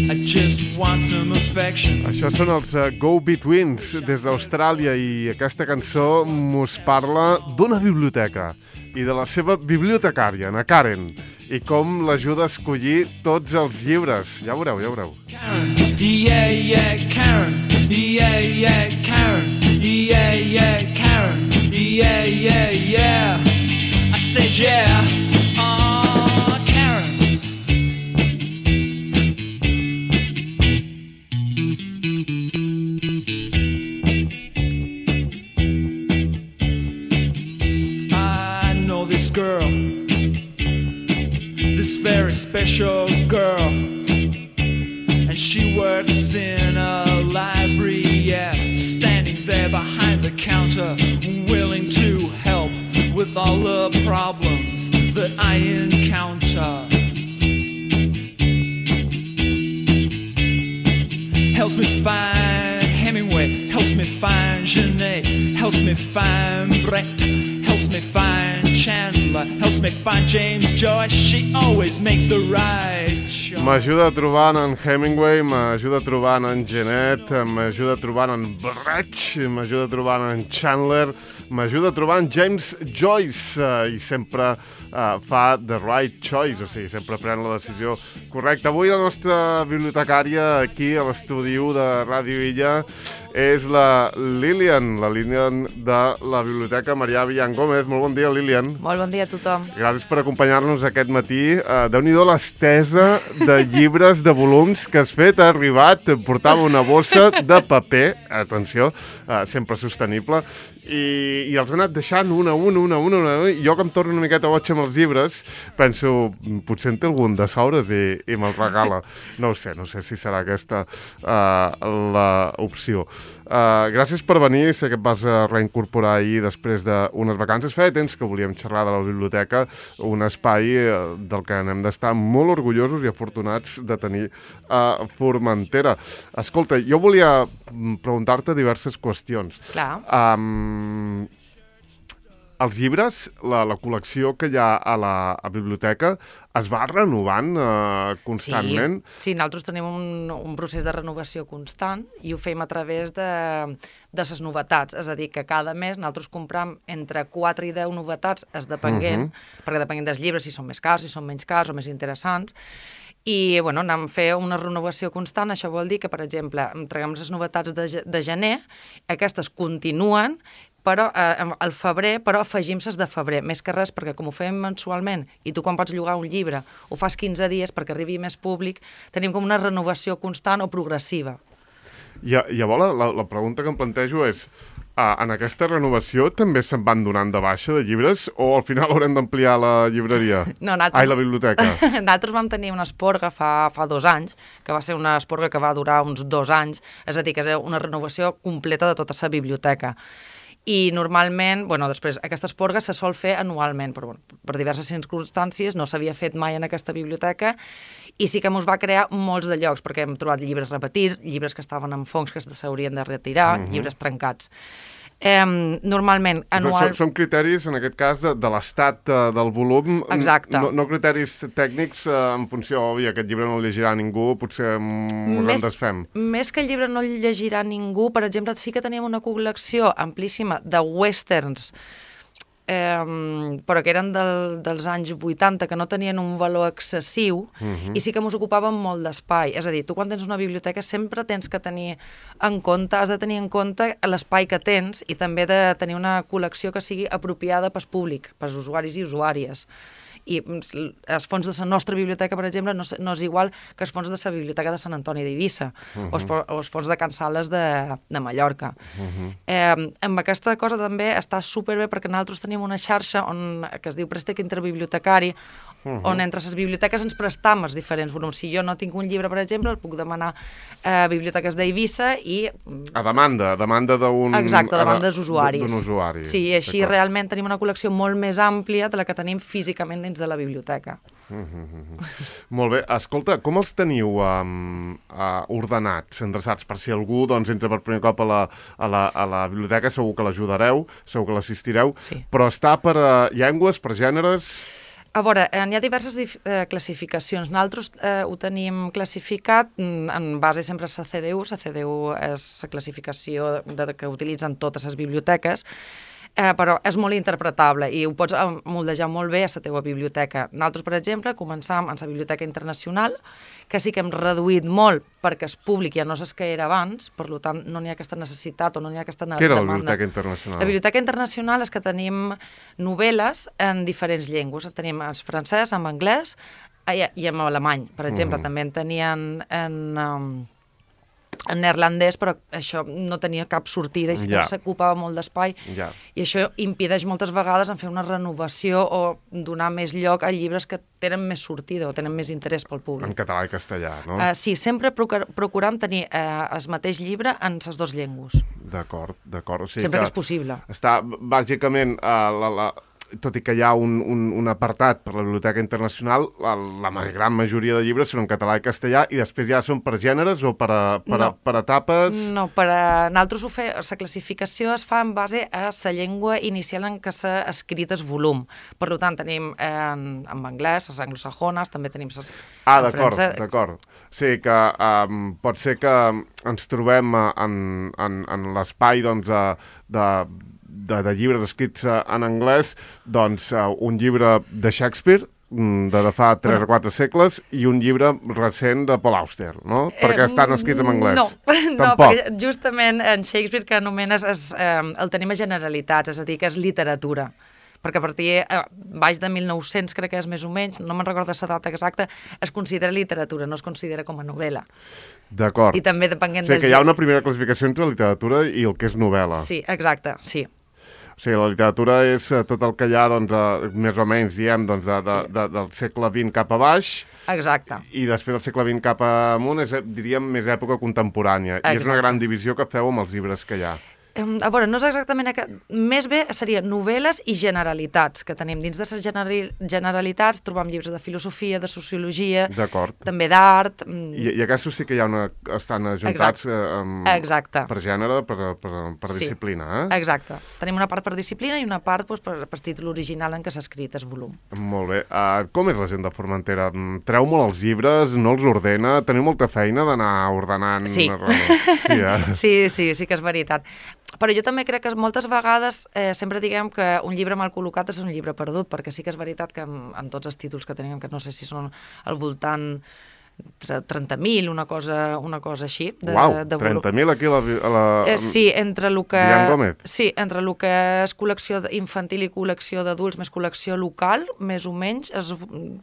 I just want some affection. Això són els Go-Betweens des d'Austràlia i aquesta cançó mos parla d'una biblioteca i de la seva bibliotecària, na Karen, i com l'ajuda a escollir tots els llibres. Ja ho veureu, ja ho veureu. Karen, yeah, yeah, Karen, yeah, yeah, Karen, yeah, yeah, Karen, yeah, yeah, yeah. I said yeah, Karen. I know this girl, this very special girl, and she works in a library, yeah, standing there behind the counter, willing to help with all the problems that I encounter. Helps me find Hemingway, helps me find Genet, helps me find Brecht, helps me find Chandler, helps me find James Joyce. She always makes the right choice. M'ajuda trobant en Hemingway, m'ajuda trobant en Genet, m'ajuda trobant en Brecht, m'ajuda trobant en Chandler, m'ajuda trobant James Joyce i sempre fa the right choice, o sigui, sempre pren la decisió correcta. Avui la nostra bibliotecària aquí a l'estudi de Ràdio Illa és la Lilian de la Biblioteca Marià Villan Gómez. Molt bon dia, Lilian. Molt bon dia a tothom. Gràcies per acompanyar-nos aquest matí. Déu-n'hi-do l'estesa de llibres, de volums que has fet. Ha arribat, portava una bossa de paper, atenció, sempre sostenible, i els ha anat deixant una. I jo, que em torno una miqueta boig amb els llibres, penso, potser en té algun de sobres i me'l regala. No ho sé si serà aquesta l'opció. Gràcies per venir, sé que et vas reincorporar ahir després d'unes vacances. Feia temps que volíem xerrar de la biblioteca, un espai del que n'hem d'estar molt orgullosos i afortunats de tenir a Formentera. Escolta, jo volia preguntar-te diverses qüestions. Clar. Els llibres, la col·lecció que hi ha a la biblioteca, es va renovant constantment? Sí, nosaltres tenim un procés de renovació constant i ho fem a través de les novetats. És a dir, que cada mes nosaltres compram entre 4 i 10 novetats, depenent, perquè depenent dels llibres, si són més cars, si són menys cars o més interessants. I anem a fer una renovació constant. Això vol dir que, per exemple, traguem les novetats de gener, aquestes continuen, però al febrer, però afegim les de febrer, més que res, perquè com ho fem mensualment, i tu quan pots llogar un llibre ho fas 15 dies perquè arribi més públic, tenim com una renovació constant o progressiva. Llavors, la pregunta que em plantejo és, en aquesta renovació també se'n van donant de baixa de llibres o al final haurem d'ampliar la llibreria? No, la biblioteca. Nosaltres vam tenir una esporga fa 2 anys, que va ser una esporga que va durar uns 2 anys, és a dir, que és una renovació completa de tota la biblioteca. I normalment, després, aquesta esporga se sol fer anualment, però per diverses circumstàncies no s'havia fet mai en aquesta biblioteca i sí que ens va crear molts de llocs, perquè hem trobat llibres repetits, llibres que estaven en fongs que s'haurien de retirar, llibres trencats. Normalment, anual... Són criteris, en aquest cas, de l'estat del volum. Exacte. No criteris tècnics en funció, aquest llibre no el llegirà ningú, potser ens en desfem. Més que el llibre no el llegirà ningú, per exemple, sí que teníem una col·lecció amplíssima de westerns, però que eren dels anys 80, que no tenien un valor excessiu, i sí que ens ocupaven molt d'espai. És a dir, tu quan tens una biblioteca sempre tens que tenir en compte, has de tenir en compte l'espai que tens i també de tenir una col·lecció que sigui apropiada pel públic, pels usuaris i usuàries. I els fons de la nostra biblioteca, per exemple, no és igual que els fons de la biblioteca de Sant Antoni d'Eivissa o els fons de Can Sales de Mallorca. Amb aquesta cosa també està superbé perquè nosaltres tenim una xarxa que es diu Préstec Interbibliotecari, on entre les biblioteques ens prestam els diferents volums. Si jo no tinc un llibre, per exemple, el puc demanar a biblioteques d'Eivissa i... A demanda d'un... Exacte, a demanda dels usuaris. D'un usuari. Sí, i així realment tenim una col·lecció molt més àmplia de la que tenim físicament dins de la biblioteca. Molt bé. Escolta, com els teniu ordenats, endreçats? Per si algú entra per primer cop a la biblioteca, segur que l'ajudareu, segur que l'assistireu, però està per llengües, per gèneres... A veure, hi ha diverses classificacions. Nosaltres ho tenim classificat en base sempre a la CDU. La CDU és la classificació que utilitzen totes les biblioteques, però és molt interpretable i ho pots moldejar molt bé a la teva biblioteca. Nosaltres, per exemple, començam en la Biblioteca Internacional, que sí que hem reduït molt perquè és públic, ja no és que era abans, per tant no n'hi ha aquesta necessitat o no n'hi ha aquesta demanda. Què era la Biblioteca Internacional? La Biblioteca Internacional és que tenim novel·les en diferents llengües. Tenim en francès, en anglès i en alemany. Per exemple, també en tenien en neerlandès, però això no tenia cap sortida i s'ocupava molt d'espai. I això impedeix moltes vegades en fer una renovació o donar més lloc a llibres que tenen més sortida o tenen més interès pel públic. En català i castellà, no? Sí, sempre procuram tenir el mateix llibre en les dues llengües. D'acord. O sigui sempre que és possible. Està, bàsicament, tot i que hi ha un apartat per la Biblioteca Internacional, la gran majoria de llibres són en català i castellà i després ja són per gèneres o per etapes? No, nosaltres la classificació es fa en base a la llengua inicial en què s'ha escrit el volum. Per tant, tenim en anglès, les anglosajones, també tenim les d'acord. O sigui que pot ser que ens trobem en l'espai de llibres escrits en anglès, doncs un llibre de Shakespeare de fa 3 o 4 segles i un llibre recent de Paul Auster, no? Perquè estan escrits en anglès. No, perquè justament en Shakespeare que anomenes el tenim a generalitats, és a dir, que és literatura. Perquè a partir baix de 1900, crec que és més o menys, no me'n recordo la data exacta, es considera literatura, no es considera com a novel·la. D'acord. I també depenent del... O sigui que hi ha una primera classificació entre literatura i el que és novel·la. Sí, exacte, sí. O sigui, la literatura és tot el que hi ha, més o menys, diem, del segle XX cap a baix. Exacte. I després del segle XX cap amunt és, diríem, més època contemporània. Exacte. I és una gran divisió que feu amb els llibres que hi ha. A veure, no és exactament... Més bé serien novel·les i generalitats que tenim. Dins de les generalitats trobam llibres de filosofia, de sociologia, també d'art... I aquests sí que estan ajuntats per gènere, per disciplina, eh? Exacte. Tenim una part per disciplina i una part per títol original en què s'ha escrit el volum. Molt bé. Com és la gent de Formentera? Treu molt els llibres, no els ordena? Teniu molta feina d'anar ordenant? Sí. Sí que és veritat. Però jo també crec que moltes vegades sempre diguem que un llibre mal col·locat és un llibre perdut, perquè sí que és veritat que en tots els títols que tenim, que no sé si són al voltant 30.000, una cosa així. Uau, 30.000 aquí a la... Sí, entre el que... Dian Gómez? Sí, entre el que és col·lecció infantil i col·lecció d'adults, més col·lecció local, més o menys,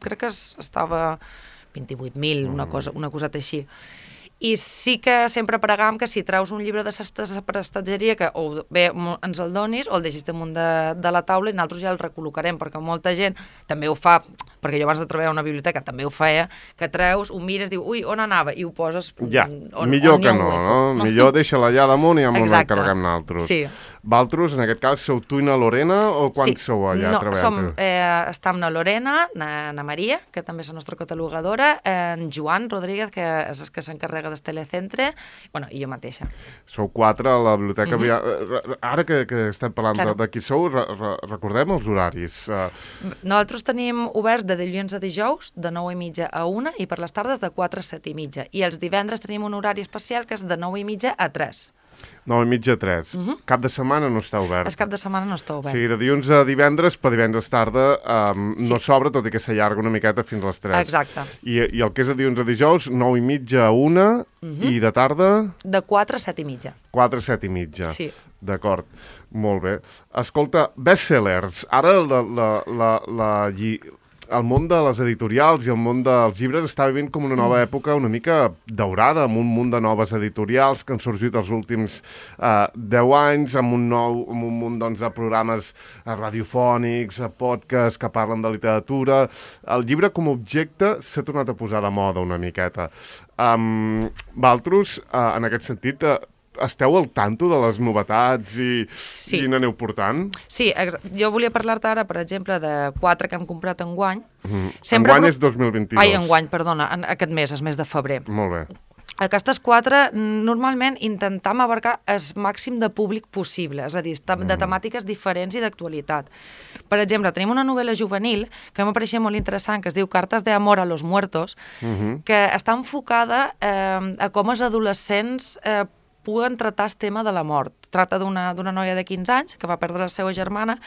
crec que estava 28.000, una coseta així. I sí que sempre pregam que si treus un llibre de prestatgeria que o bé ens el donis o el deixis damunt de la taula i nosaltres ja el recol·locarem, perquè molta gent també ho fa, perquè jo abans de treballar a una biblioteca també ho feia, que treus, ho mires, diu, ui, on anava? I ho poses... Ja, millor que no, no? Millor deixa-la allà damunt i ja ens encarreguem nosaltres. Sí. Valtros, en aquest cas, sou tu i na Lorena o quants sou allà treballant? Estem na Lorena, na Maria, que també és la nostra catalogadora, en Joan Rodríguez, que és el que s'encarrega del telecentre, i jo mateixa. Sou 4 a la biblioteca. Ara que estem parlant de qui sou, recordem els horaris. Nosaltres tenim oberts de dilluns a dijous, de 9:30 a 1, i per les tardes de 4 a 7:30. I els divendres tenim un horari especial que és de 9:30 a 3. 9:30 a 3. Cap de setmana no està obert. El cap de setmana no està obert. O sigui, de dilluns a divendres, però divendres tarda no s'obre, tot i que s'allarga una miqueta fins a les 3. Exacte. I el que és de dilluns a dijous, 9:30 a 1, i de tarda... De 4 a 7:30. 4 a 7:30. Sí. D'acord, molt bé. Escolta, bestsellers. Ara el món de les editorials i el món dels llibres està vivint com una nova època una mica daurada, amb un munt de noves editorials que han sorgit els últims 10 anys, amb un munt de programes radiofònics, podcasts que parlen de literatura. El llibre com a objecte s'ha tornat a posar de moda una miqueta. Valtros, en aquest sentit, esteu al tanto de les novetats i n'aneu portant? Sí, jo volia parlar-te ara, per exemple, de 4 que hem comprat enguany. Enguany és 2022. Ai, enguany, perdona, aquest mes, és mes de febrer. Molt bé. Aquestes 4, normalment intentem abarcar el màxim de públic possible, és a dir, de temàtiques diferents i d'actualitat. Per exemple, tenim una novel·la juvenil que m'apareixia molt interessant, que es diu Cartes de amor a los muertos, que està enfocada a com els adolescents puguen tratar el tema de la mort. Tracta d'una noia de 15 anys que va perdre la seva germana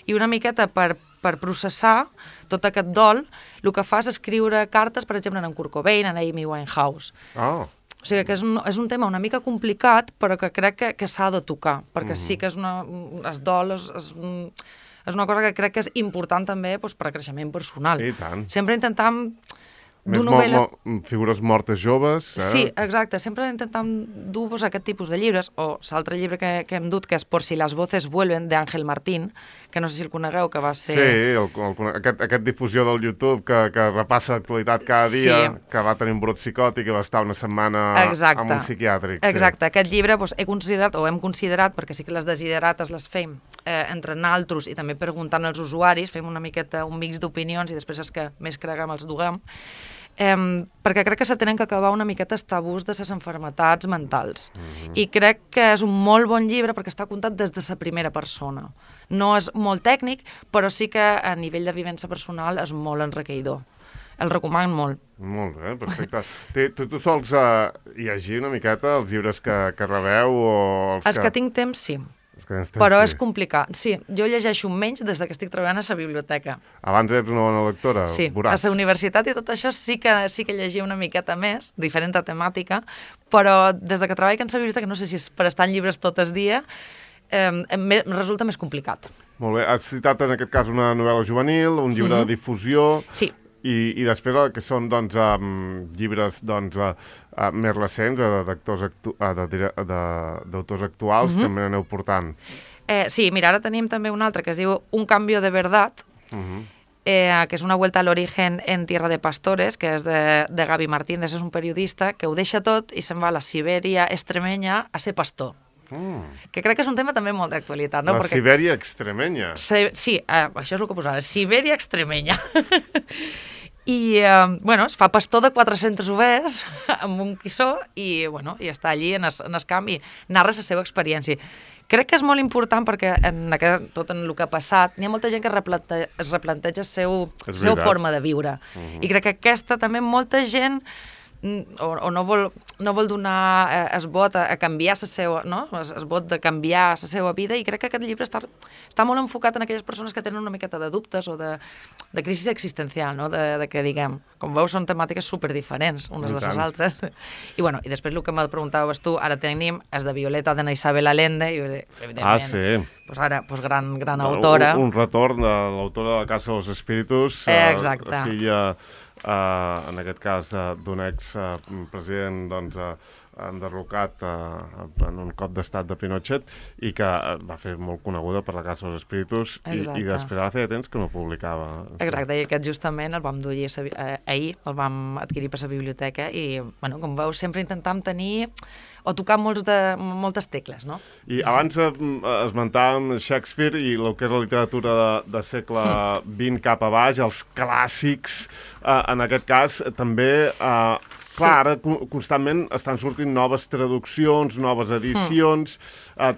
i una miqueta per processar tot aquest dol, el que fa és escriure cartes, per exemple, en Kurt Cobain, en Amy Winehouse. Oh. O sigui que és un tema una mica complicat, però que crec que s'ha de tocar, perquè sí que es dol, és una cosa que crec que és important també doncs, per a creixement personal. I tant. Sempre intentam Més figures mortes joves. Sí, exacte. Sempre intentam dur aquest tipus de llibres, o l'altre llibre que hem dut, que és Por si las voces vuelven, d'Àngel Martín, que no sé si el conegueu, que va ser... Sí, aquest difusió del YouTube que repassa l'actualitat cada dia, que va tenir un brot psicòtic i va estar una setmana en un psiquiàtric. Exacte. Aquest llibre hem considerat, perquè sí que les desiderates les fem entre naltros i també preguntant als usuaris, fem una miqueta un mix d'opinions i després els que més creguem els duguem, perquè crec que se tenen que acabar una miqueta els tabús de les malalties mentals. I crec que és un molt bon llibre perquè està contat des de la primera persona. No és molt tècnic, però sí que a nivell de vivència personal és molt enriquidor. El recomano molt. Molt bé, perfecte. Tu sols llegir una miqueta els llibres que rebeu? Els que tinc temps, sí. Però és complicat. Sí, jo llegeixo menys des que estic treballant a la biblioteca. Abans ets una bona lectora? Sí, a la universitat i tot això sí que llegia una miqueta més, diferent temàtica, però des que treballo a la biblioteca, no sé si és per estar en llibres tot el dia, resulta més complicat. Molt bé. Has citat en aquest cas una novel·la juvenil, un llibre de difusió... Sí. I després el que són llibres més recents d'autors actuals també aneu portant. Sí, mira, ara tenim també un altre que es diu Un cambio de verdad, que és una vuelta al origen en tierra de pastores, que és de Gaby Martínez, és un periodista que ho deixa tot i se'n va a la Sibèria extremenya a ser pastor. Que crec que és un tema també molt d'actualitat. La Sibèria extremenya. Sí, això és el que posava, Sibèria extremenya. I, es fa pastor de 400 overs amb un quissó i està allí en el camp i narra la seva experiència. Crec que és molt important perquè tot en el que ha passat n'hi ha molta gent que es replanteja la seva forma de viure. I crec que aquesta també molta gent o no vol donar el vot a canviar la seva, no? El vot de canviar la seva vida, i crec que aquest llibre està molt enfocat en aquelles persones que tenen una miqueta de dubtes o de crisi existencial, no? De que, diguem, com veus, són temàtiques superdiferents unes de les altres. I després el que me preguntaves tu, ara tenim és de Violeta de Isabel Allende, i evidentment, sí. Ara, gran autora. Un retorn de l'autora de La Casa de los Espíritus, filla... en aquest cas d'un expresident enderrocat en un cop d'estat de Pinochet i que va fer molt coneguda per La Casa dels Espíritus i després ara feia temps que no publicava. Exacte, i aquest justament el vam dur ahir, el vam adquirir per la biblioteca i, com veus, sempre intentam tenir o tocar moltes tecles, no? I abans esmentàvem Shakespeare i el que és la literatura de segle XX cap a baix, els clàssics, en aquest cas també... Clar, ara constantment estan sortint noves traduccions, noves edicions,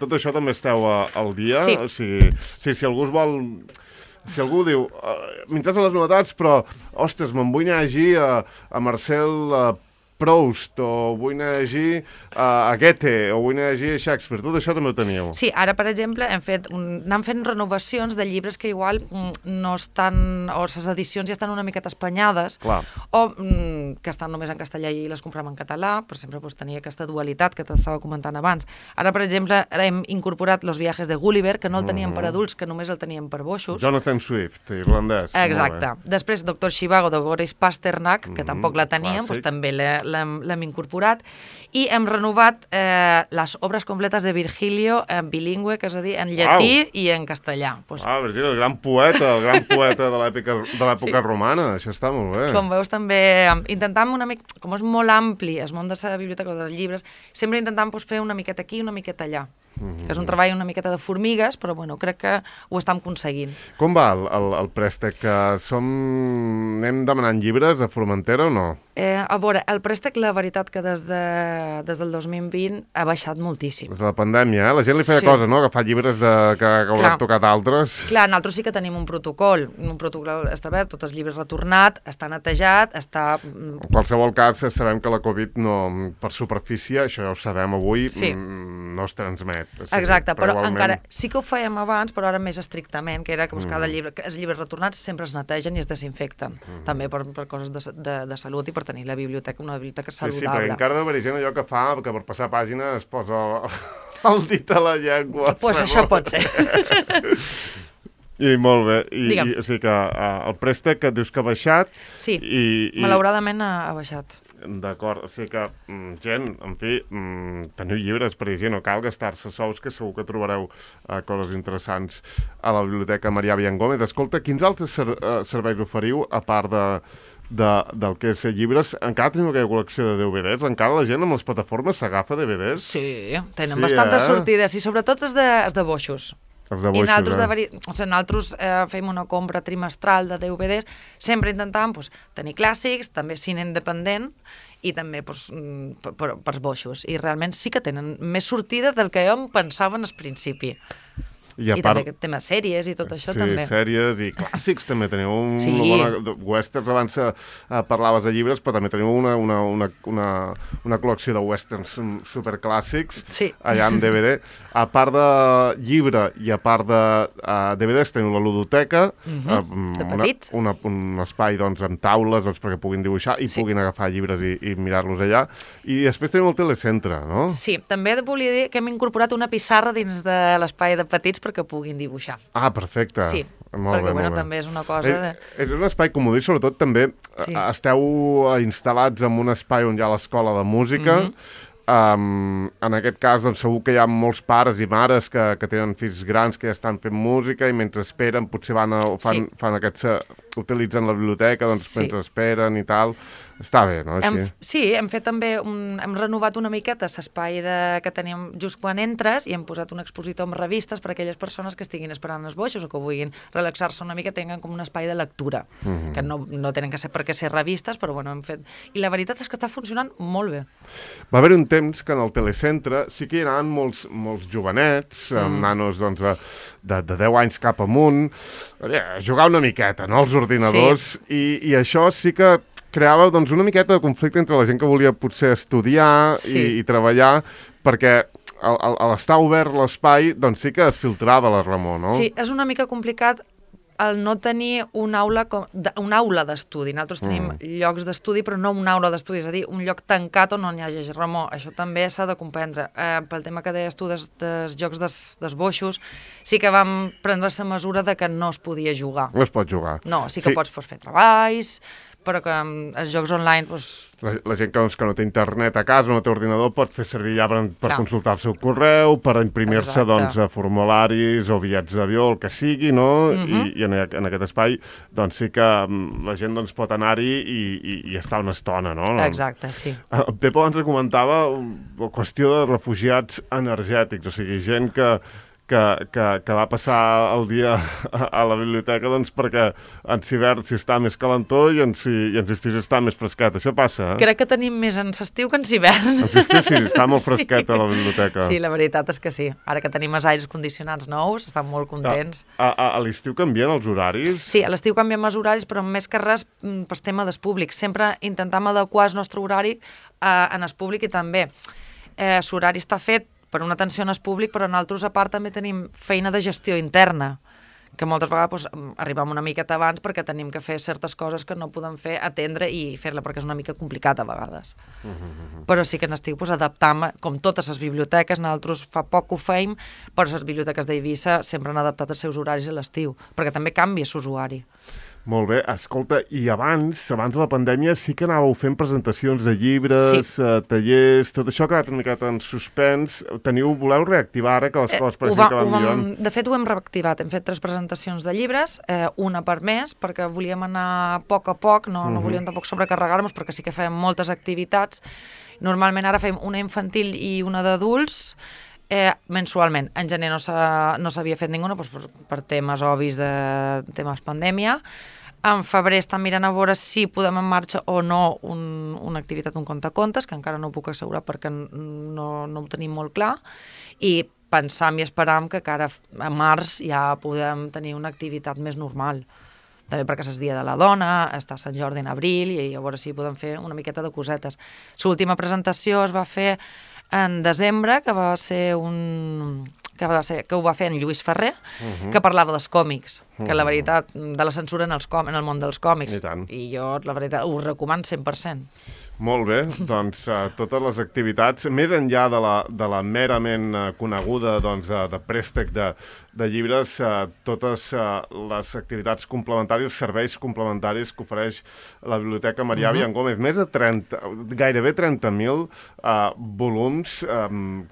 tot això també esteu al dia? Sí. O sigui, si algú es vol... Si algú diu, m'interessen les novetats, però, ostres, me'n vull anar a llegir a Marcel Proust, o vull anar a llegir a Goethe, o vull anar a llegir a Shakespeare, tot això també ho teníeu. Sí, ara, per exemple, anem fent renovacions de llibres que igual no estan, o les edicions ja estan una miqueta espanyades, o que estan només en castellà i les comprem en català, però sempre tenia aquesta dualitat que t'estava comentant abans. Ara, per exemple, hem incorporat Los viajes de Gulliver, que no el teníem per adults, que només el teníem per boixos. Jonathan Swift, irlandès. Exacte. Després, Doctor Zhivago, de Boris Pasternak, que tampoc la teníem, també l'hem incorporat, i hem renovat les obres completes de Virgilio en bilingüe, que és a dir, en llatí i en castellà. Virgilio, el gran poeta de l'època romana, això està molt bé. Com veus, també intentam una mica, com és molt ampli el món de la biblioteca o dels llibres, sempre intentam fer una miqueta aquí i una miqueta allà. Que és un treball una miqueta de formigues, però crec que ho estem aconseguint. Com va el préstec? Anem demanant llibres a Formentera o no? A veure, el préstec, la veritat que des del 2020 ha baixat moltíssim. Des de la pandèmia, La gent li feia cosa, no? Agafar llibres que hauran tocat altres. Clar, nosaltres sí que tenim un protocol establert, tots els llibres retornat, està netejat, està... En qualsevol cas, sabem que la Covid per superfície, això ja ho sabem avui, no es transmet. Exacte, però encara sí que ho fèiem abans, però ara més estrictament, que era que cada llibre, els llibres retornats sempre es netegen i es desinfecten, també per coses de salut i per tenir una biblioteca saludable. Sí, perquè encara deu haver gent allò que fa, que per passar pàgina es posa el dit a la llengua. Doncs això pot ser. I molt bé, o sigui que el préstec que dius que ha baixat... Sí, malauradament ha baixat. D'acord, o sigui que, gent, en fi, teniu llibres per llegir, no cal gastar-se sous, que segur que trobareu coses interessants a la Biblioteca Marià Viangómez. Escolta, quins altres serveis oferiu, a part del que és llibres? Encara teniu aquella col·lecció de DVDs? Encara la gent amb les plataformes s'agafa DVDs? Sí, tenen bastantes sortides, i sobretot els de boixos. Els de boixos, nosaltres fem una compra trimestral de DVDs, sempre intentàvem tenir clàssics, també cine independent, i també per boixos. I realment sí que tenen més sortida del que jo em pensava en el principi. I també temes sèries i tot això també. Sí, sèries i clàssics també teniu. Westerns, abans parlaves de llibres, però també teniu una col·lecció de westerns superclàssics allà en DVD. A part de llibre i a part de DVDs teniu la ludoteca, un espai amb taules perquè puguin dibuixar i puguin agafar llibres i mirar-los allà. I després teniu el telecentre, no? Sí, també volia dir que hem incorporat una pissarra dins de l'espai de petits perquè puguin dibuixar. Ah, perfecte. Sí, perquè també és una cosa... És un espai comodí, sobretot també esteu instal·lats en un espai on hi ha l'escola de música. En aquest cas, segur que hi ha molts pares i mares que tenen fills grans que ja estan fent música i mentre esperen potser fan utilitzen la biblioteca mentre esperen i tal. Està bé, no? Sí, hem fet també hem renovat una miqueta l'espai que teníem just quan entres i hem posat un expositor amb revistes per a aquelles persones que estiguin esperant els boixos o que vulguin relaxar-se una mica, tinguin com un espai de lectura, que no tenen que ser per què ser revistes, però bueno, hem fet... I la veritat és que està funcionant molt bé. Va haver un temps que en el telecentre sí que hi anaven molts jovenets, amb nanos de 10 anys cap amunt, a jugar una miqueta, no?, als ordinadors, i això sí que creava una miqueta de conflicte entre la gent que volia potser estudiar i treballar, perquè a l'estar obert l'espai sí que es filtrava la remor, no? Sí, és una mica complicat el no tenir una aula d'estudi. Nosaltres tenim llocs d'estudi, però no una aula d'estudi, és a dir, un lloc tancat on no hi hagi remor. Això també s'ha de comprendre. Pel tema que deies tu dels jocs dels boixos, sí que vam prendre la mesura de que no es podia jugar. No es pot jugar. No, sí que pots fer treballs, però que els jocs online... La gent que no té internet a casa, no té ordinador, pot fer servir ja per consultar el seu correu, per imprimir-se formularis o bitllets d'avió, el que sigui, no? I en aquest espai sí que la gent pot anar-hi i estar una estona, no? Exacte, sí. Pepo abans comentava la qüestió de refugiats energètics, o sigui, gent que va passar el dia a la biblioteca perquè en hivern s'hi està més calentó i en estiu està més fresquet. Això passa, Crec que tenim més en estiu que en hivern. En estiu sí, està molt fresquet a la biblioteca. Sí, la veritat és que sí. Ara que tenim els aires condicionats nous, estan molt contents. A l'estiu canvien els horaris? Sí, a l'estiu canviem els horaris, però més que res per tema dels públics. Sempre intentam adequar el nostre horari en el públic i també l'horari està fet per una atenció en el públic, però nosaltres a part també tenim feina de gestió interna, que moltes vegades arribem una miqueta abans perquè tenim que fer certes coses que no podem fer, atendre i fer-la, perquè és una mica complicat a vegades. Però sí que n'estic adaptant, com totes les biblioteques, nosaltres fa poc que ho feim, però les biblioteques d'Eivissa sempre han adaptat els seus horaris a l'estiu, perquè també canvia l'usuari. Molt bé, escolta, i abans de la pandèmia sí que anàveu fent presentacions de llibres, tallers, tot això ha quedat una miqueta en suspens. Voleu reactivar ara que les coses pareixen que van millor? De fet, ho hem reactivat. Hem fet 3 presentacions de llibres, una per mes, perquè volíem anar a poc, no volíem tampoc sobrecarregar-nos, perquè sí que fèiem moltes activitats. Normalment ara fem una infantil i una d'adults, mensualment. En gener no s'havia fet ninguna per temes obvis de temes pandèmia. En febrer estan mirant a veure si podem en marxa o no una activitat, un contacontes, que encara no ho puc assegurar perquè no ho tenim molt clar, i pensam i esperam que cara a març ja podem tenir una activitat més normal. També perquè és el dia de la dona, està Sant Jordi en abril, i a veure si podem fer una miqueta de cosetes. L'última presentació es va fer en desembre, que ho va fer en Lluís Ferrer, que parlava dels còmics, que la veritat, de la censura en el món dels còmics. I jo, la veritat, ho recomano 100%. Molt bé, doncs totes les activitats, més enllà de la merament coneguda de préstec de llibres, totes les activitats complementàries, serveis complementaris que ofereix la Biblioteca Marià Villangómez. Més de gairebé 30.000 volums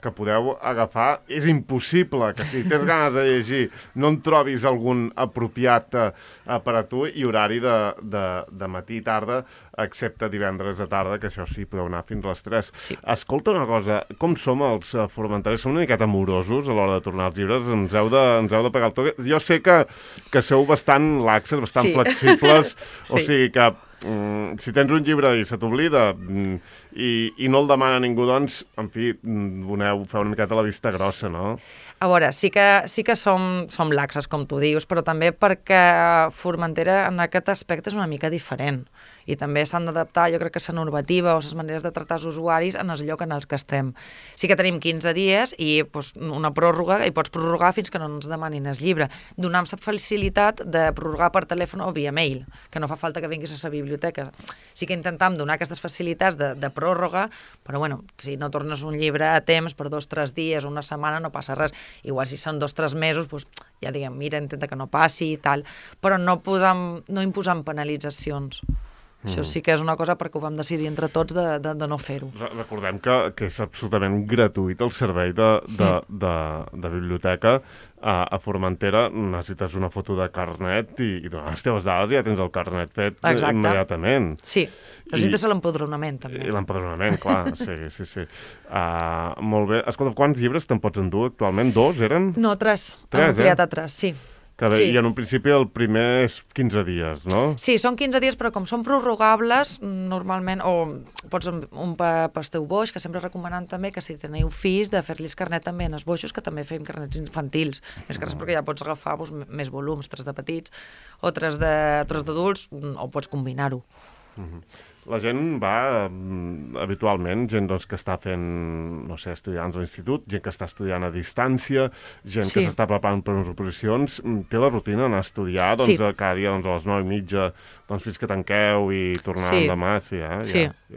que podeu agafar. És impossible que si tens ganes de llegir no en trobis algun apropiat per a tu, i horari de matí i tarda, excepte divendres de tarda, que això sí, podeu anar fins a les 3. Sí. Escolta una cosa, com som els formentaris? Som una miqueta amorosos a l'hora de tornar els llibres? Ens heu de pegar el toque? Jo sé que sou bastant laxes, bastant flexibles, o sigui que si tens un llibre i se t'oblida i no el demana ningú, doncs, en fi, feu una miqueta la vista grossa, no? A veure, sí que som laxes, com tu dius, però també perquè Formentera en aquest aspecte és una mica diferent. I també s'han d'adaptar, jo crec que la normativa o les maneres de tractar els usuaris en el lloc en els que estem. Sí que tenim 15 dies i una pròrroga, i pots prorrogar fins que no ens demanin el llibre. Donem la facilitat de prorrogar per telèfon o via mail, que no fa falta que vinguis a la biblioteca. Sí que intentam donar aquestes facilitats de pròrroga, però bueno, si no tornes un llibre a temps per 2 o 3 dies o una setmana no passa res. Igual si són 2 o 3 mesos, doncs ja diguem, mira, intenta que no passi i tal, però no imposam penalitzacions. Això sí que és una cosa perquè ho vam decidir entre tots de no fer-ho. Recordem que és absolutament gratuït el servei de biblioteca a Formentera. Necessites una foto de carnet i donar les teves dades i ja tens el carnet fet immediatament. Sí, necessites l'empadronament també. I l'empadronament, clar, sí. Molt bé. Escolta, quants llibres te'n pots endur actualment? 2, eren? No, 3. Hem ampliat a 3, sí. I en un principi el primer és 15 dies, no? Sí, són 15 dies, però com són prorrogables, normalment, o pots un pel teu boix, que sempre recomanant també que si teniu fills de fer-los carnet també en els boixos, que també fem carnets infantils. Més que res perquè ja pots agafar més volums, 3 de petits o 3 d'adults, o pots combinar-ho. La gent va habitualment, gent que està fent, no sé, estudiants a l'institut, gent que està estudiant a distància, gent que s'està preparant per unes oposicions, té la rutina d'anar a estudiar cada dia a les 9:30 fins que tanqueu i tornar demà. Sí,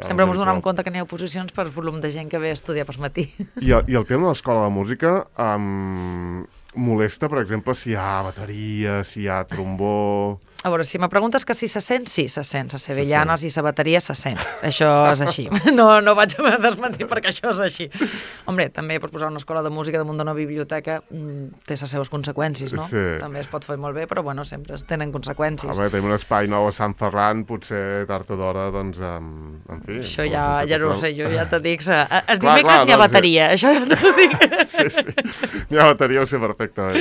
sempre ens donem compte que n'hi ha oposicions per volum de gent que ve a estudiar per matí. I el tema de l'escola de música molesta, per exemple, si hi ha bateria, si hi ha trombó... A veure, si me preguntes que si se sent, sí, se sent. Les sevillanes i la bateria se sent. Això és així. No vaig a desmentir perquè això és així. Hombre, també pots posar una escola de música damunt d'una biblioteca, té les seves conseqüències, no? Sí. També es pot fer molt bé, però bueno, sempre tenen conseqüències. Tenim un espai nou a Sant Ferran, potser tard o d'hora, doncs, en fi... Això ja no ho sé, jo ja te dic... Els dimecres n'hi ha bateria, això ja t'ho dic. Sí, n'hi ha bateria, ho sé perfectament.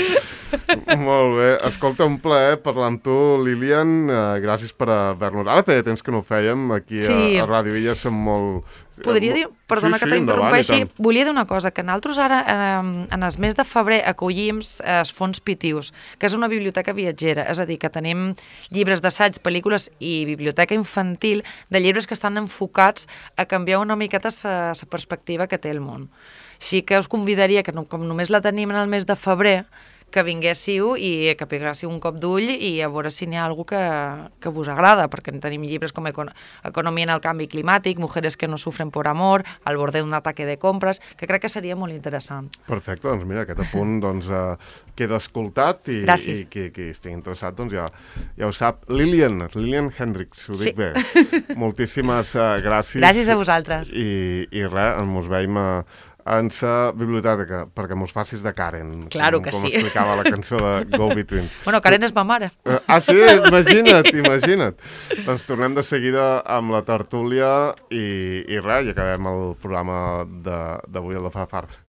Molt bé. Escolta, un plaer parlar amb tu, Lilian, gràcies per haver-nos... Ara feia temps que no ho fèiem, aquí a Ràdio Illa som molt... Podria dir, perdona que t'interrompeixi, volia dir una cosa, que nosaltres ara, en el mes de febrer, acollim els Fons Pitius, que és una biblioteca viatgera, és a dir, que tenim llibres d'assaig, pel·lícules i biblioteca infantil de llibres que estan enfocats a canviar una miqueta la perspectiva que té el món. Així que us convidaria, que com només la tenim en el mes de febrer, que vinguéssiu i que peguéssiu un cop d'ull i a veure si n'hi ha alguna que vos agrada, perquè tenim llibres com Economia en el canvi climàtic, Mujeres que no sufren por amor, Al borde d'un ataque de compres, que crec que seria molt interessant. Perfecte, doncs mira, aquest apunt queda escoltat i qui estigui interessat doncs ja ho sap. Lilian Hendricks, ho dic bé. Moltíssimes gràcies. Gràcies a vosaltres. I res, ens veiem en la biblioteca, perquè mos facis de Karen. Claro que sí. Com explicava la cançó de Go Between. Bueno, Karen és ma mare. Sí? Imagina't. Doncs tornem de seguida amb la tertúlia i res, i acabem el programa d'avui al de Far.